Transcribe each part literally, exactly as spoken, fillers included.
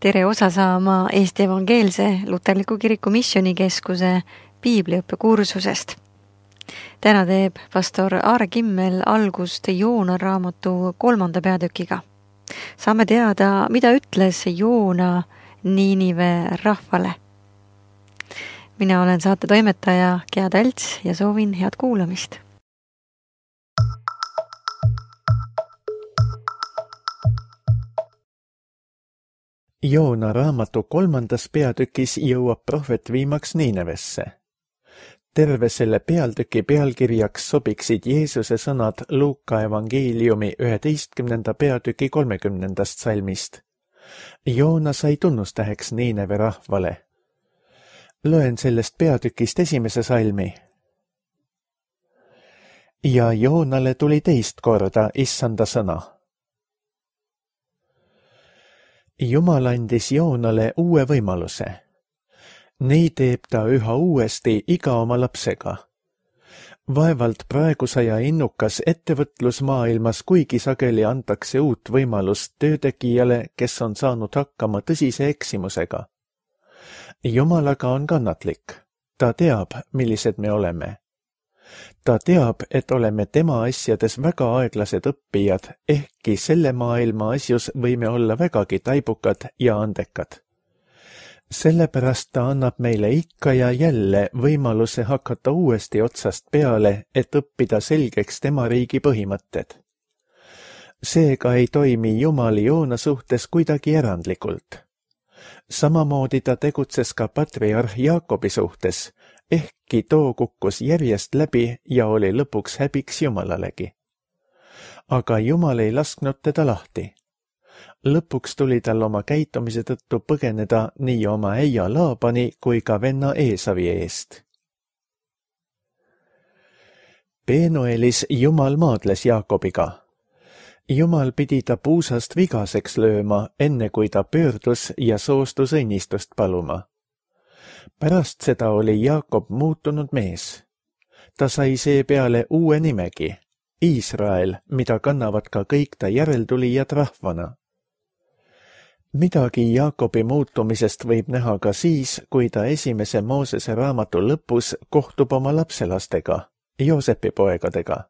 tere osa saama Eesti Evangeelse Luterliku Kiriku Missioonikeskuse piibliõppe kursusest. Täna teeb pastor Aare Kimmel algust Joona raamatu kolmanda peatükiga. Saame teada, mida ütles Joona Niinive rahvale. Mina olen saate toimetaja Gea Talts ja soovin head kuulamist. Joona raamatu kolmandas peatükis jõuab prohvet viimaks Niinevesse. Terve selle peatüki pealkirjaks sobiksid Jeesuse sõnad Luuka evangeeliumi üheteistkümnenda peatüki kolmekümnendast salmist. Joona sai tunnustäheks Niineve rahvale. Loen sellest peatükist esimese salmi. Ja Joonale tuli teist korda issanda sõna. Jumal andis Joonale uue võimaluse. Nii teeb ta üha uuesti iga oma lapsega. Vaevalt praegu saja innukas ettevõtlusmaailmas, kuigi sageli antakse uut võimalust töötegijale, kes on saanud hakkama tõsise eksimusega. Jumal aga on kannatlik. Ta teab, millised me oleme. Ta teab, et oleme tema asjades väga aeglased õppijad, ehkki selle maailma asjus võime olla vägagi taibukad ja andekad. Sellepärast ta annab meile ikka ja jälle võimaluse hakata uuesti otsast peale, et õppida selgeks tema riigi põhimõtted. Seega ei toimi Jumal Joona suhtes kuidagi erandlikult. Samamoodi ta tegutses ka patriarh Jaakobi suhtes, ehkki too kukkus järjest läbi ja oli lõpuks häbiks Jumalalegi. Aga Jumal ei lasknud teda lahti. Lõpuks tuli tal oma käitumise tõttu põgeneda nii oma äia Laabani kui ka venna Eesavi eest. Penuelis Jumal maadles Jaakobiga. Jumal pidi ta puusast vigaseks lööma, enne kui ta pöördus ja soostus õnnistust paluma. Pärast seda oli Jaakob muutunud mees. Ta sai seepeale uue nimegi, Iisrael, mida kannavad ka kõik ta järeltulijad rahvana. Midagi Jaakobi muutumisest võib näha ka siis, kui ta esimese Moosese raamatu lõpus kohtub oma lapselastega, Joosepi poegadega.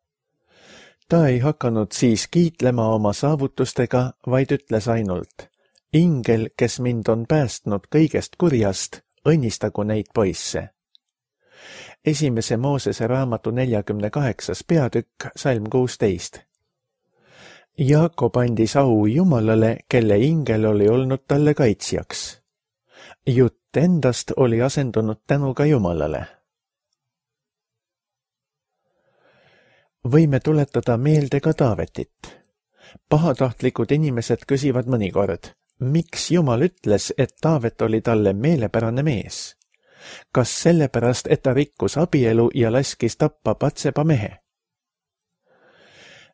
Ta ei hakanud siis kiitlema oma saavutustega, vaid ütles ainult, ingel, kes mind on päästnud kõigest kurjast, õnnistagu neid poisse. Esimese Moosese raamatu neljakümne kaheksas peatükk, salm kuusteist. Jaakob andis au Jumalale, kelle ingel oli olnud talle kaitsjaks. Jutt endast oli asendunud tänuga Jumalale. Võime tuletada meelde ka Taavetit. Pahatahtlikud inimesed küsivad mõnikord, miks Jumal ütles, et Taavet oli talle meelepärane mees? Kas sellepärast, et ta rikkus abielu ja laskis tappa Patseba mehe?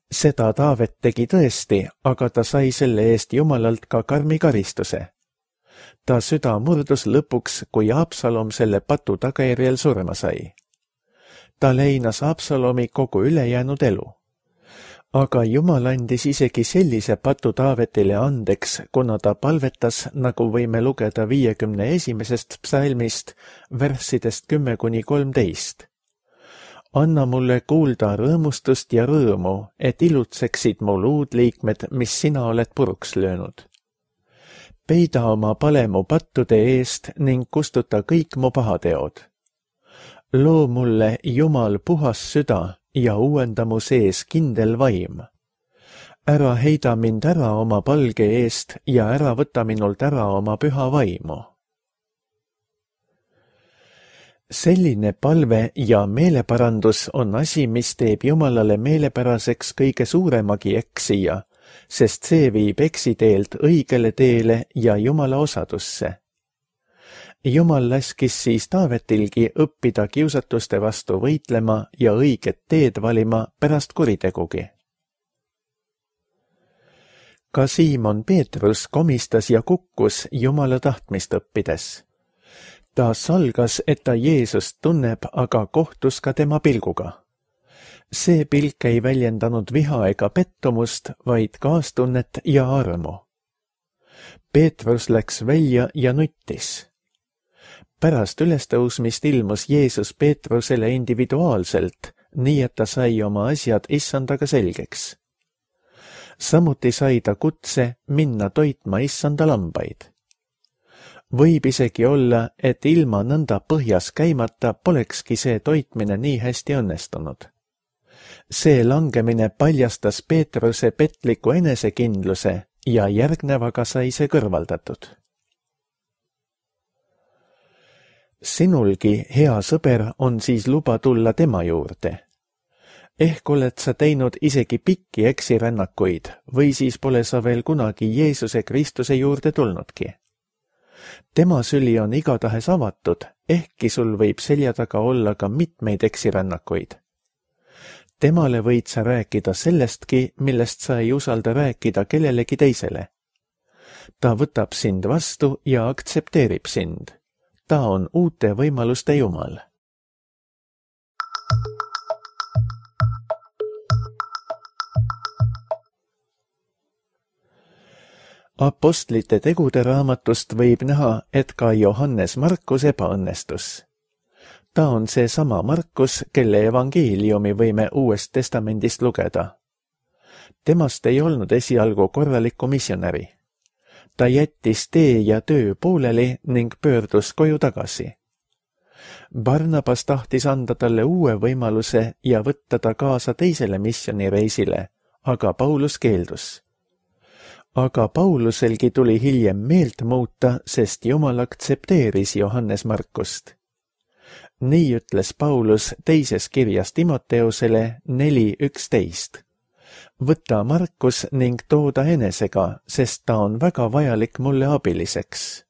Seda Taavet tegi tõesti, aga ta sai selle eest Jumalalt ka karmi karistuse. Ta süda murdus lõpuks, kui Absalom selle patu tagajärjel surma sai. Ta leinas Absalomi kogu ülejäänud elu. Aga Jumal andis isegi sellise patu Taavetile andeks, kuna ta palvetas, nagu võime lugeda viiekümne esimesest psalmist, värssidest kümme kuni kolmteist. Anna mulle kuulda rõõmustust ja rõõmu, et ilutseksid mu luudliikmed, mis sina oled puruks löönud. Peida oma pale mu pattude eest ning kustuta kõik mu pahateod. Loo mulle, Jumal, puhas süda ja uuenda mu sees kindel vaim. Ära heida mind ära oma palge eest ja ära võta minult ära oma püha vaimu. Selline palve ja meeleparandus on asi, mis teeb Jumalale meelepäraseks kõige suuremagi eksija, sest see viib eksiteelt õigele teele ja Jumala osadusse. Jumal laskis siis Taavetilgi õppida kiusatuste vastu võitlema ja õiget teed valima pärast kuritegugi. Ka Siimon Peetrus komistas ja kukkus Jumala tahtmist õppides. Ta salgas, et ta Jeesust tunneb, aga kohtus ka tema pilguga. See pilk ei väljendanud viha ega pettumust, vaid kaastunnet ja armu. Peetrus läks välja ja nuttis. Pärast ülestõusmist ilmus Jeesus Peetrusele individuaalselt, nii et ta sai oma asjad issandaga selgeks. Samuti sai ta kutse minna toitma issanda lambaid. Võib isegi olla, et ilma nõnda põhjas käimata polekski see toitmine nii hästi õnnestunud. See langemine paljastas Peetruse petliku enesekindluse ja järgnevaga sai see kõrvaldatud. Sinulgi, hea sõber, on siis luba tulla tema juurde. Ehk oled sa teinud isegi pikki eksirännakuid või siis pole sa veel kunagi Jeesuse Kristuse juurde tulnudki. Tema süli on igatahes avatud, ehkki sul võib selja taga olla ka mitmeid eksirännakuid. Temale võid sa rääkida sellestki, millest sa ei usalda rääkida kellelegi teisele. Ta võtab sind vastu ja aktsepteerib sind. Ta on uute võimaluste Jumal. Apostlite tegude raamatust võib näha, et ka Johannes Markus ebaõnnestus. Ta on see sama Markus, kelle evangeeliumi võime Uuest Testamendist lugeda. Temast ei olnud esialgu korralikku missionäri. Ta jättis tee ja töö pooleli ning pöördus koju tagasi. Barnabas tahtis anda talle uue võimaluse ja võtta ta kaasa teisele missionireisile, aga Paulus keeldus. Aga Pauluselgi tuli hiljem meelt muuta, sest Jumal aktsepteeris Johannes Markust. Nii ütles Paulus teises kirjas Timoteusele neli üksteist. Võta Markus ning tooda enesega, sest ta on väga vajalik mulle abiliseks.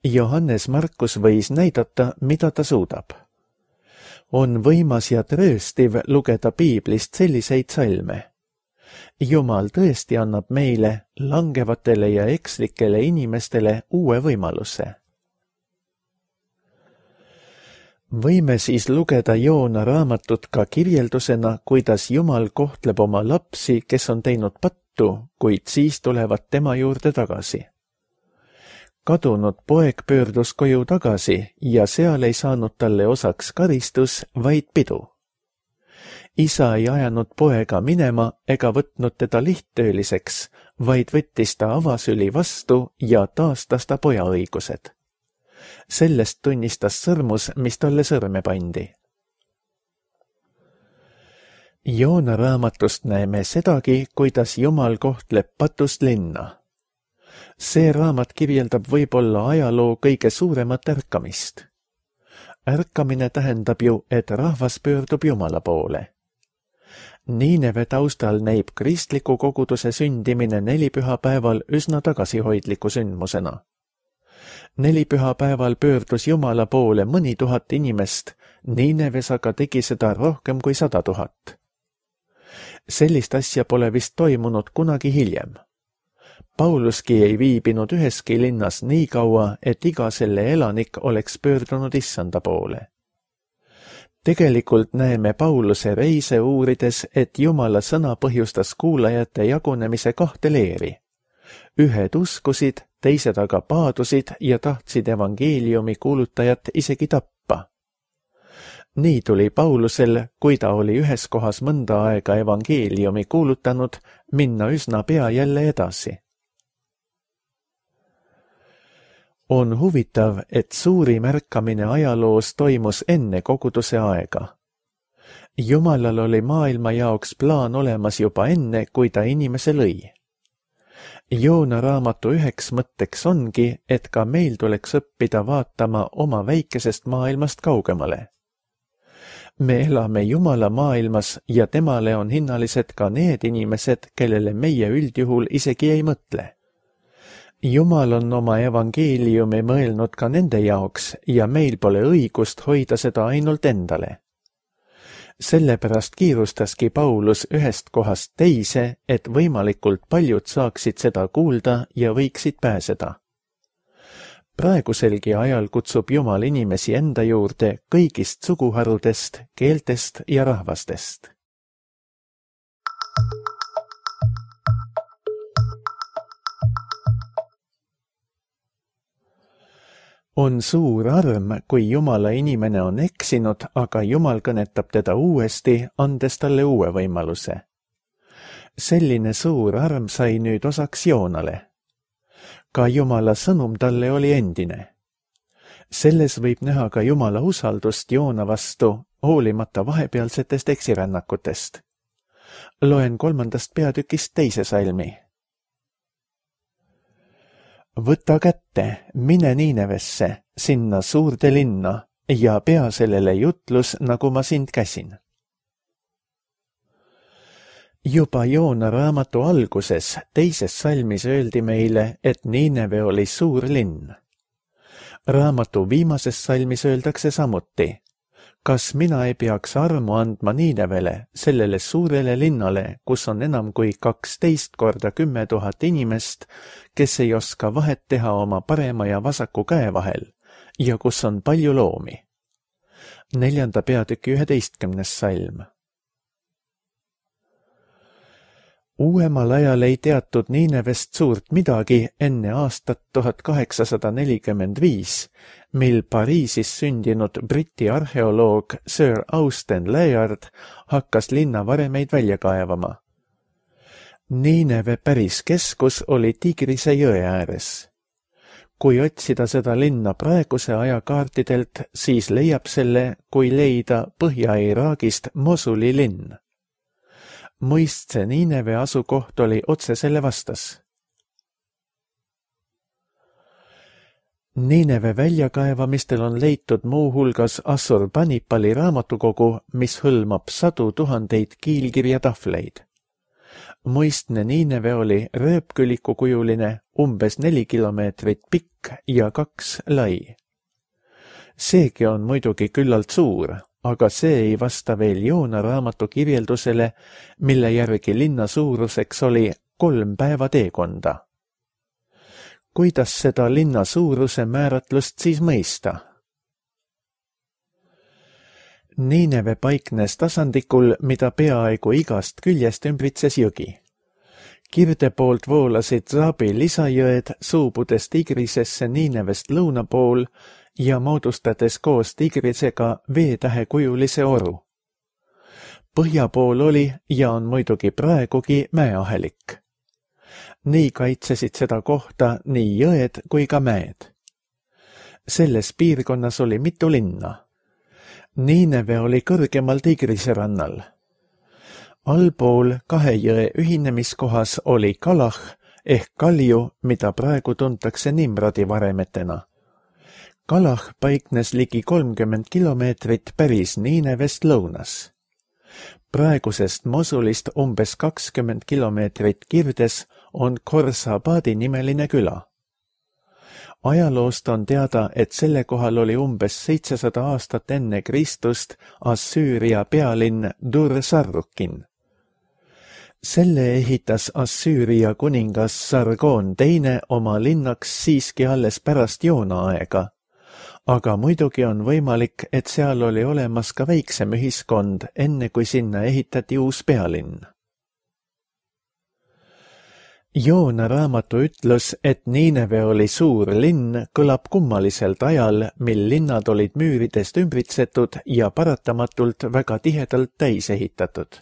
Johannes Markus võis näidata, mida ta suudab. On võimas ja trööstiv lugeda piiblist selliseid salme. Jumal tõesti annab meile, langevatele ja ekslikele inimestele uue võimaluse. Võime siis lugeda Joona raamatut ka kirjeldusena, kuidas Jumal kohtleb oma lapsi, kes on teinud pattu, kuid siis tulevad tema juurde tagasi. Kadunud poeg pöördus koju tagasi ja seal ei saanud talle osaks karistus, vaid pidu. Isa ei ajanud poega minema ega võtnud teda lihttööliseks, vaid võttis ta avasüli vastu ja taastas ta poja õigused. Sellest tunnistas sõrmus, mis talle sõrme pandi. Joona raamatust näeme sedagi, kuidas Jumal kohtleb patust linna. See raamat kirjeldab võib-olla ajaloo kõige suuremat ärkamist. Ärkamine tähendab ju, et rahvas pöördub Jumala poole. Niineve taustal näib kristliku koguduse sündimine nelipühapäeval üsna tagasihoidliku sündmusena. Nelipühapäeval pöördus Jumala poole mõni tuhat inimest, Niineves aga tegi seda rohkem kui sada tuhat. Sellist asja pole vist toimunud kunagi hiljem. Pauluski ei viibinud üheski linnas nii kaua, et iga selle elanik oleks pöördunud issanda poole. Tegelikult näeme Pauluse reise uurides, et Jumala sõna põhjustas kuulajate jagunemise kahte leeri. Ühed uskusid, teised aga paadusid ja tahtsid evangeeliumi kuulutajat isegi tappa. Nii tuli Paulusel, kui ta oli ühes kohas mõnda aega evangeeliumi kuulutanud, minna üsna pea jälle edasi. On huvitav, et suurim ärkamine ajaloos toimus enne koguduse aega. Jumalal oli maailma jaoks plaan olemas juba enne, kui ta inimese lõi. Joona raamatu üheks mõtteks ongi, et ka meil tuleks õppida vaatama oma väikesest maailmast kaugemale. Me elame Jumala maailmas ja temale on hinnalised ka need inimesed, kellele meie üldjuhul isegi ei mõtle. Jumal on oma evangeeliumi mõelnud ka nende jaoks ja meil pole õigust hoida seda ainult endale. Sellepärast kiirustaski Paulus ühest kohast teise, et võimalikult paljud saaksid seda kuulda ja võiksid pääseda. Praeguselgi ajal kutsub Jumal inimesi enda juurde kõigist suguharudest, keeltest ja rahvastest. On suur arm, kui Jumala inimene on eksinud, aga Jumal kõnetab teda uuesti, andes talle uue võimaluse. Selline suur arm sai nüüd osaks Joonale. Ka Jumala sõnum talle oli endine. Selles võib näha ka Jumala usaldust Joona vastu, hoolimata vahepealsetest eksirännakutest. Loen kolmandast peatükist teise salmi. Võta kätte, mine Niinevesse, sinna suurde linna, ja pea sellele jutlus, nagu ma sind käsin. Juba Joona raamatu alguses, teises salmis öeldi meile, et Niineve oli suur linn. Raamatu viimases salmis öeldakse samuti, kas mina ei peaks armu andma Niinevele, sellele suurele linnale, kus on enam kui kaksteist korda kümme tuhat inimest, kes ei oska vahet teha oma parema ja vasaku käe vahel, ja kus on palju loomi. Neljanda peatüki üheteistkümnes salm. Uuemal ajal ei teatud Niinevest suurt midagi enne aastat tuhat kaheksasada nelikümmend viis, mil Pariisis sündinud Briti arheoloog Sir Austen Layard hakkas linna varemeid välja kaevama. Niineve päris keskus oli Tigrise jõe ääres. Kui otsida seda linna praeguse aja kaartidelt, siis leiab selle, kui leida Põhja-Iraagist Mosuli linn. Mõistse Niineve asukoht oli otse selle vastas. Niineve väljakaevamistel on leitud muuhulgas Assurbanipali raamatukogu, mis hõlmab sadu tuhandeid kiilkirjatahvleid. Mõistne Niineve oli rööpkülikukujuline, umbes neli kilomeetrit pikk ja kaks lai. Seegi on muidugi küllalt suur, aga see ei vasta veel Joona raamatu kirjeldusele, mille järgi linna suuruseks oli kolm päeva teekonda. Kuidas seda linna suuruse määratlust siis mõista? Niineve paiknes tasandikul, mida peaaegu igast küljest ümbritses jõgi. Kirde poolt voolasid Zaabi lisajõed, suubudes Tigrisesse Niinevest lõuna pool ja moodustades koos Tigrisega veetähekujulise oru. Põhja pool oli ja on muidugi praegugi mäeahelik. Nii kaitsesid seda kohta nii jõed kui ka mäed. Selles piirkonnas oli mitu linna. Niineve oli kõrgemal Tigrise rannal. Allpool kahe jõe ühinemiskohas oli Kalah ehk Kalju, mida praegu tuntakse Nimrodi varemetena. Kalah paiknes ligi kolmkümmend kilomeetrit päris Niinevest lõunas. Praegusest Mosulist umbes kakskümmend kilomeetrit kirdes on Khorsabadi nimeline küla. Ajaloost on teada, et selle kohal oli umbes seitsesada aastat enne Kristust Assüüria pealinn Dur-Sarrukin. Selle ehitas Assüüria kuningas Sargon teine oma linnaks siiski alles pärast Joona aega, aga muidugi on võimalik, et seal oli olemas ka väiksem ühiskond, enne kui sinna ehitati uus pealinn. Joona raamatu ütlus, et Niineve oli suur linn, kõlab kummaliselt ajal, mil linnad olid müüridest ümbritsetud ja paratamatult väga tihedalt täis ehitatud.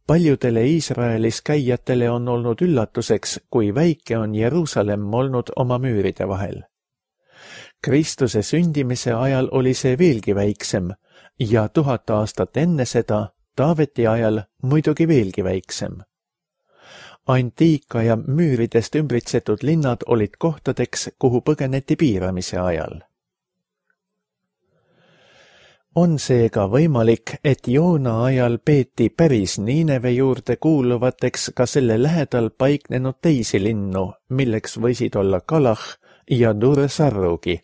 Paljudele Iisraelis käijatele on olnud üllatuseks, kui väike on Jeruusalemm olnud oma müüride vahel. Kristuse sündimise ajal oli see veelgi väiksem ja tuhat aastat enne seda, Taaveti ajal, muidugi veelgi väiksem. Antiikaja müüridest ümbritsetud linnad olid kohtadeks, kuhu põgeneti piiramise ajal. On seega võimalik, et Joona ajal peeti päris Niineve juurde kuuluvateks ka selle lähedal paiknenud teisi linnu, milleks võisid olla Kalah ja Dur-Sarrugi.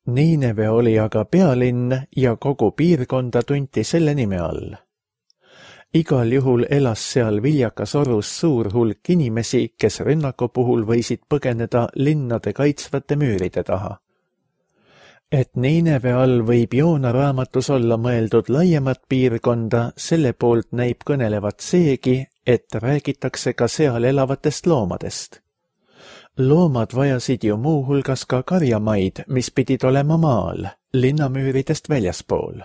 Niineve oli aga pealinn ja kogu piirkonda tunti selle nime all. Igal juhul elas seal viljakas orus suur hulk inimesi, kes rünnaku puhul võisid põgeneda linnade kaitsvate müüride taha. Et Niineve all võib Joona raamatus olla mõeldud laiemat piirkonda, selle poolt näib kõnelevat seegi, et räägitakse ka seal elavatest loomadest. loomad vajasid ju muuhulgas ka karjamaid, mis pidid olema maal, linnamüüridest väljaspool.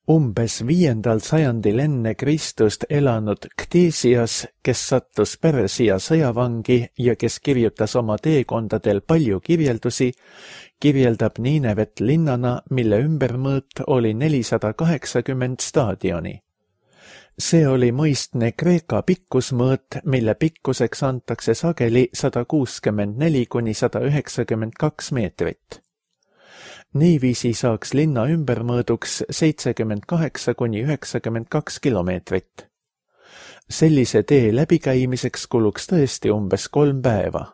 Umbes viiendal sajandil enne Kristust elanud Ktesias, kes sattus Pärsia sõjavangi ja kes kirjutas oma teekondadel palju kirjeldusi, kirjeldab Niinevet linnana, mille ümbermõõt oli nelisada kaheksakümmend staadioni. See oli mõistne Kreeka pikkusmõõt, mille pikkuseks antakse sageli sada kuuskümmend neli kuni sada üheksakümmend kaks meetrit. Niiviisi saaks linna ümbermõõduks seitsekümmend kaheksa kuni üheksakümmend kaks kilomeetrit. Sellise tee läbikäimiseks kuluks tõesti umbes kolm päeva.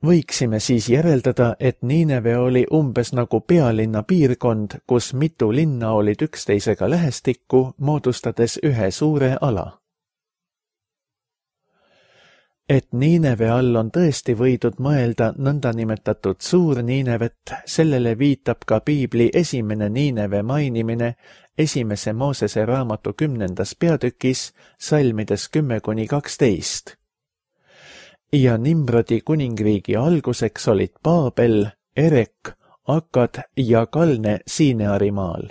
Võiksime siis järeldada, et Niineve oli umbes nagu pealinna piirkond, kus mitu linna olid üksteisega lähestikku, moodustades ühe suure ala. Et Niineve all on tõesti võidud mõelda nõndanimetatud suur Niinevet, sellele viitab ka piibli esimene Niineve mainimine esimese Moosese raamatu kümnendas peatükis, salmides kümme kuni kaksteist. Ja Nimrodi kuningriigi alguseks olid Paabel, Erek, Akad ja Kalne Siineari maal.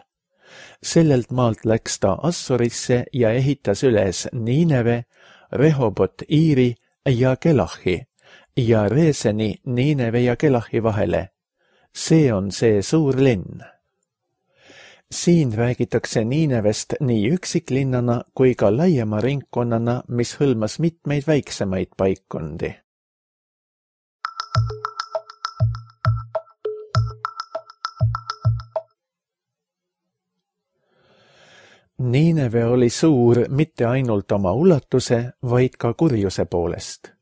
Sellelt maalt läks ta Assurisse ja ehitas üles Niineve, Rehobot Iiri ja Kelahi ja Reeseni Niineve ja Kelahi vahele. See on see suur linn. Siin räägitakse Niinevest nii üksiklinnana kui ka laiema ringkonnana, mis hõlmas mitmeid väiksemaid paikkondi. Niineve oli suur mitte ainult oma ulatuse, vaid ka kurjuse poolest.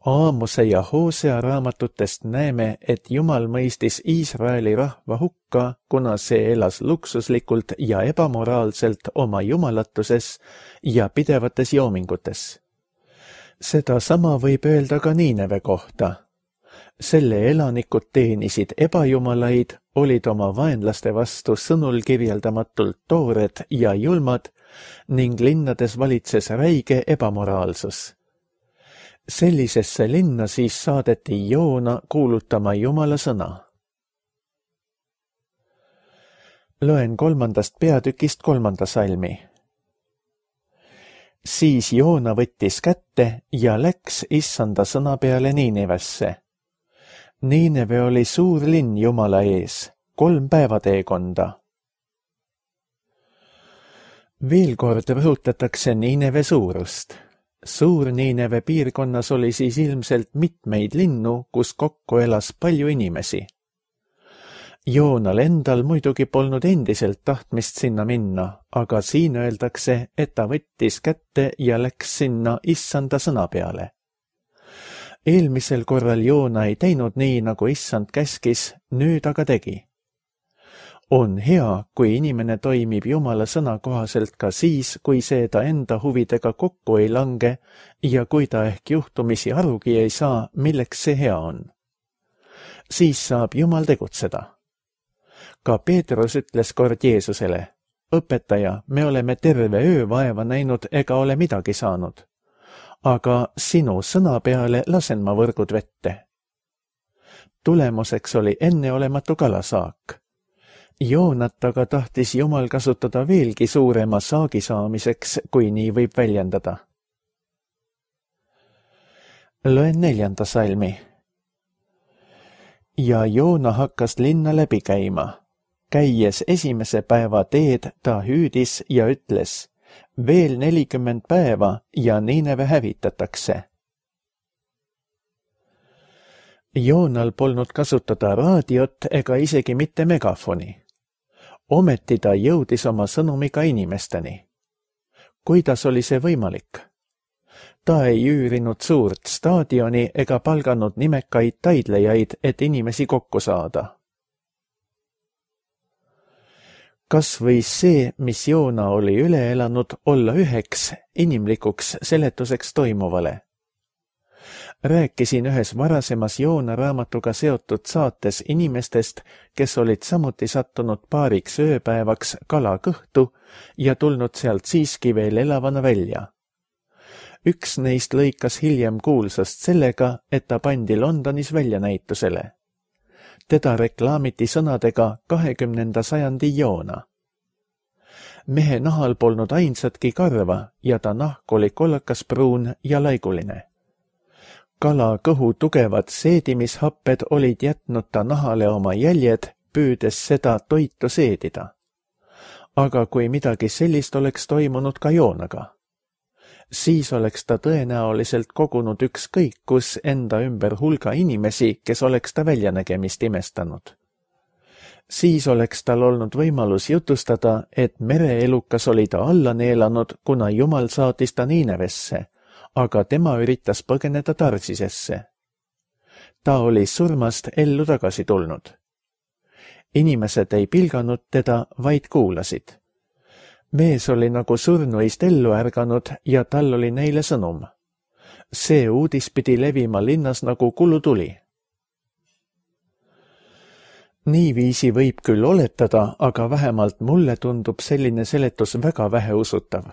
Aamose ja Hoosea raamatutest näeme, et Jumal mõistis Iisraeli rahva hukka, kuna see elas luksuslikult ja ebamoraalselt oma jumalatuses ja pidevates joomingutes. Seda sama võib öelda ka Niineve kohta. Selle elanikud teenisid ebajumalaid, olid oma vaenlaste vastu sõnul kirjeldamatult toored ja julmad ning linnades valitses räige ebamoraalsus. Sellisesse linna siis saadeti Joona kuulutama Jumala sõna. Loen kolmandast peatükist kolmanda salmi. Siis Joona võttis kätte ja läks issanda sõna peale Niinevesse. Niineve oli suur linn Jumala ees, kolm päevateekonda. Veel kord rõhutatakse Niineve suurust. Suur Niineve piirkonnas oli siis ilmselt mitmeid linnu, kus kokku elas palju inimesi. Joonal endal muidugi polnud endiselt tahtmist sinna minna, aga siin öeldakse, et ta võttis kätte ja läks sinna issanda sõna peale. Eelmisel korral Joona ei teinud nii, nagu issand käskis, nüüd aga tegi. On hea, kui inimene toimib Jumala sõna kohaselt ka siis, kui see ta enda huvidega kokku ei lange ja kui ta ehk juhtumisi arugi ei saa, milleks see hea on. Siis saab Jumal tegutseda. Ka Peetrus ütles kord Jeesusele, õpetaja, me oleme terve öö vaeva näinud ega ole midagi saanud. Aga sinu sõna peale lasen ma võrgud vette. Tulemuseks oli enneolematu kalasaak. Joonat aga tahtis Jumal kasutada veelgi suurema saagi saamiseks, kui nii võib väljendada. Loen neljanda salmi. Ja Joona hakkas linna läbi käima. Käies esimese päeva teed ta hüüdis ja ütles, veel nelikümmend päeva ja Niineve hävitatakse. Joonal polnud kasutada raadiot ega isegi mitte megafoni. Ometi ta jõudis oma sõnumiga inimesteni. Kuidas oli see võimalik? Ta ei üürinud suurt staadioni ega palganud nimekaid taidlejaid, et inimesi kokku saada. Kas võis see, mis Joona oli üle elanud, olla üheks inimlikuks seletuseks toimuvale? rääkisin ühes varasemas Joona raamatuga seotud saates inimestest, kes olid samuti sattunud paariks ööpäevaks kala kõhtu ja tulnud sealt siiski veel elavana välja. Üks neist lõikas hiljem kuulsast sellega, et ta pandi Londonis väljanäitusele. Teda reklaamiti sõnadega kahekümnenda sajandi Joona. Mehe nahal polnud ainsatki karva ja ta nahk oli kollakas pruun ja laiguline. Kala kõhu tugevad seedimishapped olid jätnud ta nahale oma jäljed, püüdes seda toitu seedida. Aga kui midagi sellist oleks toimunud ka Joonaga, siis oleks ta tõenäoliselt kogunud ükskõik kus enda ümber hulga inimesi, kes oleks ta väljanägemist imestanud. Siis oleks tal olnud võimalus jutustada, et mereelukas oli ta alla neelanud, kuna Jumal saatis ta Niinevesse, aga tema üritas põgeneda Tarsisesse. Ta oli surmast ellu tagasi tulnud. Inimesed ei pilganud teda, vaid kuulasid. Mees oli nagu surnuist ellu ärganud ja tal oli neile sõnum. See uudis pidi levima linnas nagu kulutuli. Niiviisi võib küll oletada, aga vähemalt mulle tundub selline seletus väga väheusutav.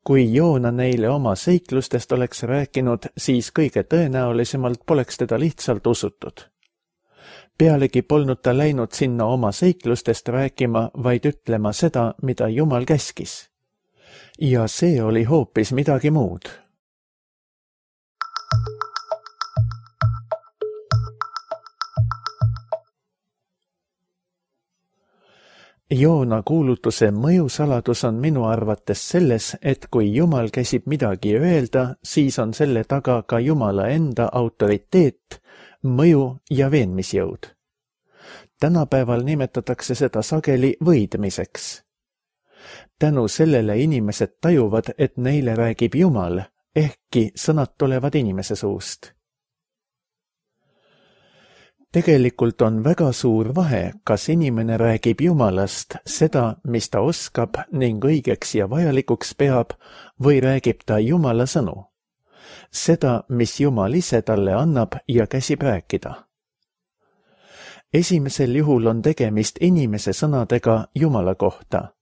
Kui Joona neile oma seiklustest oleks rääkinud, siis kõige tõenäolisemalt poleks teda lihtsalt usutud. Pealegi polnud ta läinud sinna oma seiklustest rääkima, vaid ütlema seda, mida Jumal käskis. Ja see oli hoopis midagi muud. Joona kuulutuse mõjusaladus on minu arvates selles, et kui Jumal käsib midagi öelda, siis on selle taga ka Jumala enda autoriteet, mõju ja veenmisjõud. Tänapäeval nimetatakse seda sageli võidmiseks. Tänu sellele inimesed tajuvad, et neile räägib Jumal, ehkki sõnad tulevad inimese suust. Tegelikult on väga suur vahe, kas inimene räägib Jumalast seda, mis ta oskab ning õigeks ja vajalikuks peab, või räägib ta Jumala sõnu. Seda, mis Jumal ise talle annab ja käsib rääkida. Esimesel juhul on tegemist inimese sõnadega Jumala kohta,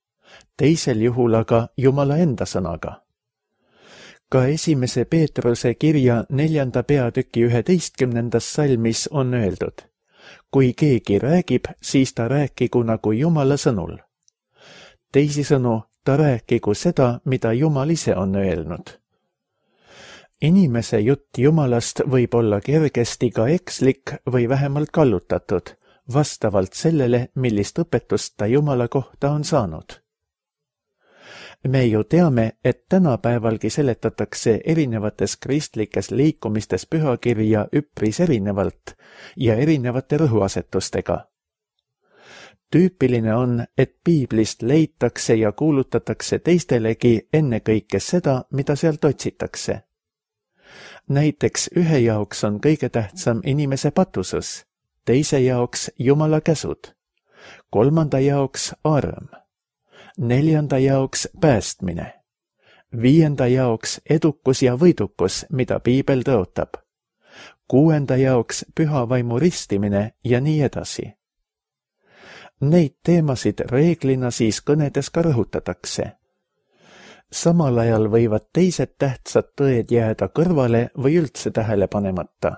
teisel juhul aga Jumala enda sõnaga. Ka esimese Peetruse kirja neljanda peatüki üheteistkümnendas salmis on öeldud: kui keegi räägib, siis ta rääkigu nagu Jumala sõnul. Teisisõnu, ta rääkigu seda, mida Jumal ise on öelnud. Inimese jutt Jumalast võib olla kergesti ka ekslik või vähemalt kallutatud, vastavalt sellele, millist õpetust ta Jumala kohta on saanud. Me ju teame, et tänapäevalgi seletatakse erinevates kristlikes liikumistes pühakirja üpris erinevalt ja erinevate rõhuasetustega. Tüüpiline on, et piiblist leitakse ja kuulutatakse teistelegi ennekõike seda, mida sealt otsitakse. Näiteks ühe jaoks on kõige tähtsam inimese patusus, teise jaoks Jumala käsud, kolmanda jaoks arm, neljanda jaoks päästmine, viienda jaoks edukus ja võidukus, mida piibel tõotab, kuuenda jaoks püha vaimu ristimine ja nii edasi. Neid teemasid reeglina siis kõnedes ka rõhutatakse. Samal ajal võivad teised tähtsad tõed jääda kõrvale või üldse tähele panemata.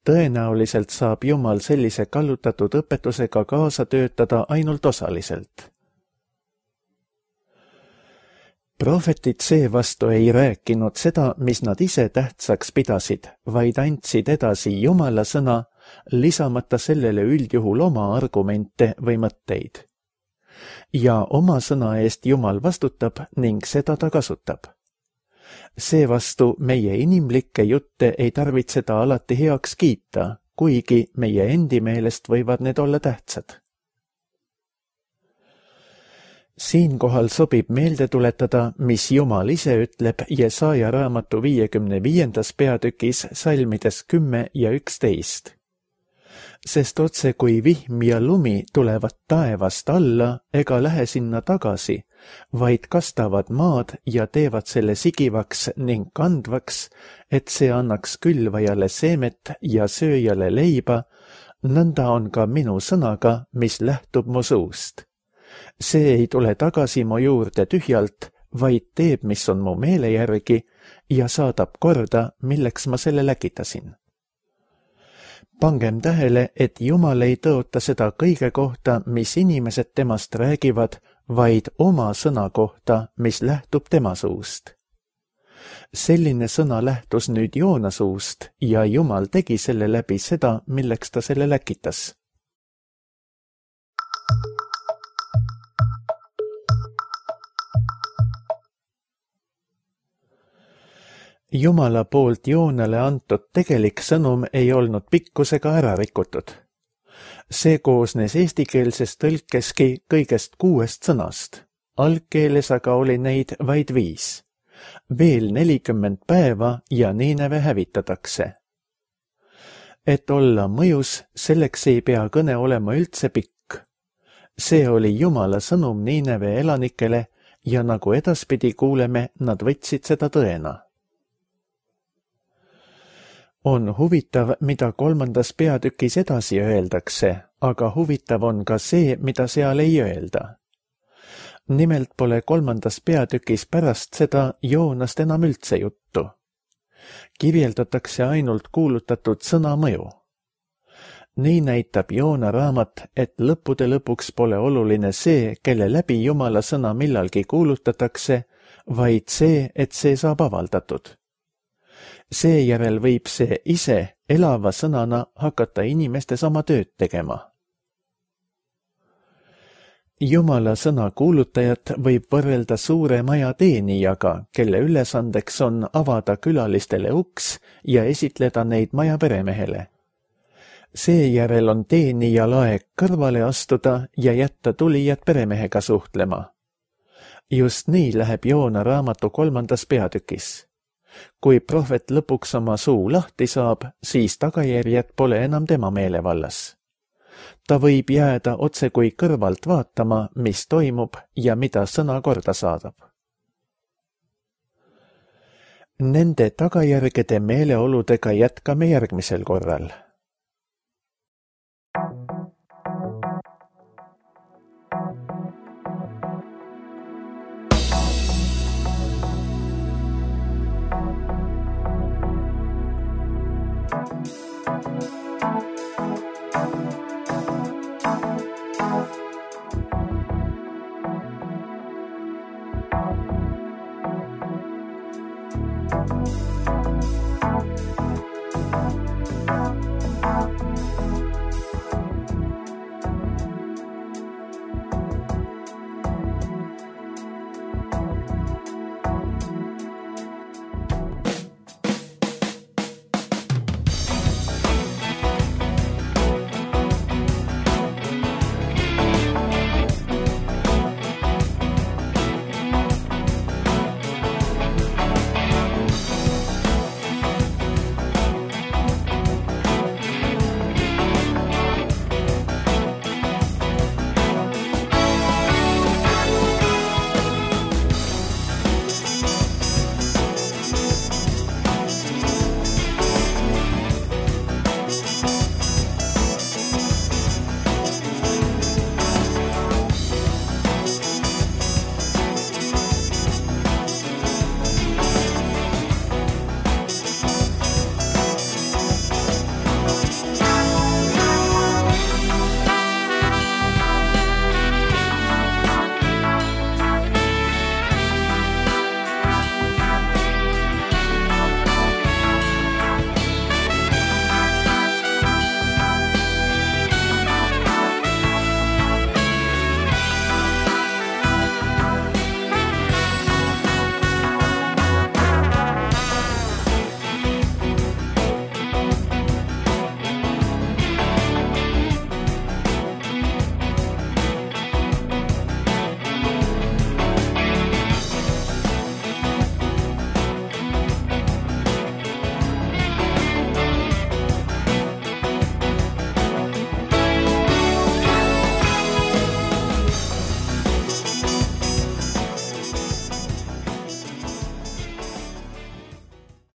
Tõenäoliselt saab Jumal sellise kallutatud õpetusega kaasa töötada ainult osaliselt. Prohvetid seevastu ei rääkinud seda, mis nad ise tähtsaks pidasid, vaid andsid edasi Jumala sõna, lisamata sellele üldjuhul oma argumente või mõtteid. Ja oma sõna eest Jumal vastutab ning seda ta kasutab. Seevastu meie inimlikke jutte ei tarvitseda alati heaks kiita, kuigi meie endi meelest võivad need olla tähtsad. Siinkohal sobib meelde tuletada, mis Jumal ise ütleb Jesaja raamatu viiekümne viiendas peatükis salmides kümme ja üksteist. Sest otse kui vihm ja lumi tulevad taevast alla ega lähe sinna tagasi, vaid kastavad maad ja teevad selle sigivaks ning kandvaks, et see annaks külvajale seemet ja sööjale leiba, nõnda on ka minu sõnaga, mis lähtub mu suust. See ei tule tagasi mu juurde tühjalt, vaid teeb, mis on mu meele järgi ja saadab korda, milleks ma selle läkitasin. Pangem tähele, et Jumal ei tõota seda kõige kohta, mis inimesed temast räägivad, vaid oma sõna kohta, mis lähtub tema suust. Selline sõna lähtus nüüd Joona suust ja Jumal tegi selle läbi seda, milleks ta selle läkitas. Jumala poolt Joonale antud tegelik sõnum ei olnud pikkusega ära rikutud. See koosnes eestikeelses tõlkeski kõigest kuuest sõnast, algkeeles aga oli neid vaid viis. Veel nelikümmend päeva ja Niineve hävitatakse. Et olla mõjus, selleks ei pea kõne olema üldse pikk. See oli Jumala sõnum Niineve elanikele ja nagu edaspidi kuuleme, nad võtsid seda tõena. On huvitav, mida kolmandas peatükis edasi öeldakse, aga huvitav on ka see, mida seal ei öelda. Nimelt pole kolmandas peatükis pärast seda Joonast enam üldse juttu. Kirjeldatakse ainult kuulutatud sõna mõju. Nii näitab Joona raamat, et lõppude lõpuks pole oluline see, kelle läbi Jumala sõna millalgi kuulutatakse, vaid see, et see saab avaldatud. Seejärel võib see ise elava sõnana hakata inimestes oma tööd tegema. Jumala sõna kuulutajat võib võrrelda suure maja teenijaga, kelle ülesandeks on avada külalistele uks ja esitleda neid maja peremehele. Seejärel on teenijal aeg kõrvale astuda ja jätta tulijad peremehega suhtlema. Just nii läheb Joona raamatu kolmandas peatükis. Kui prohvet lõpuks oma suu lahti saab, siis tagajärjed pole enam tema meelevallas. Ta võib jääda otse kui kõrvalt vaatama, mis toimub ja mida sõna korda saadab. Nende tagajärgede meeleoludega jätkame järgmisel korral. Thank you.